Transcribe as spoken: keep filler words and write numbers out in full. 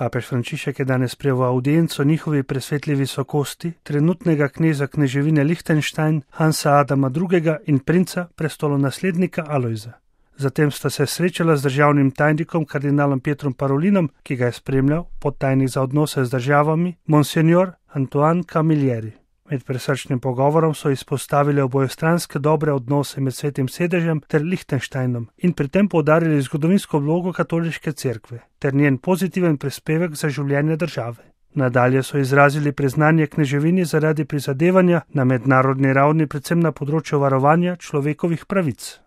Papež Frančišek je danes prijel v audienco njihovi presvetli visokosti, trenutnega kneza kneževine Lichtenstein, Hansa Adama drugega in princa prestolonaslednika Alojza. Zatem sta se srečala z državnim tajnikom kardinalom Pietrom Parolinom, ki ga je spremljal, podtajnik za odnose z državami, Monsignor Antoine Camilleri. Med presrčnim pogovorom so izpostavili obojestranske dobre odnose med Svetim sedežem ter Lichtensteinom in pri tem poudarili zgodovinsko vlogo katoliške cerkve ter njen pozitiven prispevek za življenje države. Nadalje so izrazili priznanje kneževini zaradi prizadevanja na mednarodni ravni predvsem na področju varovanja človekovih pravic.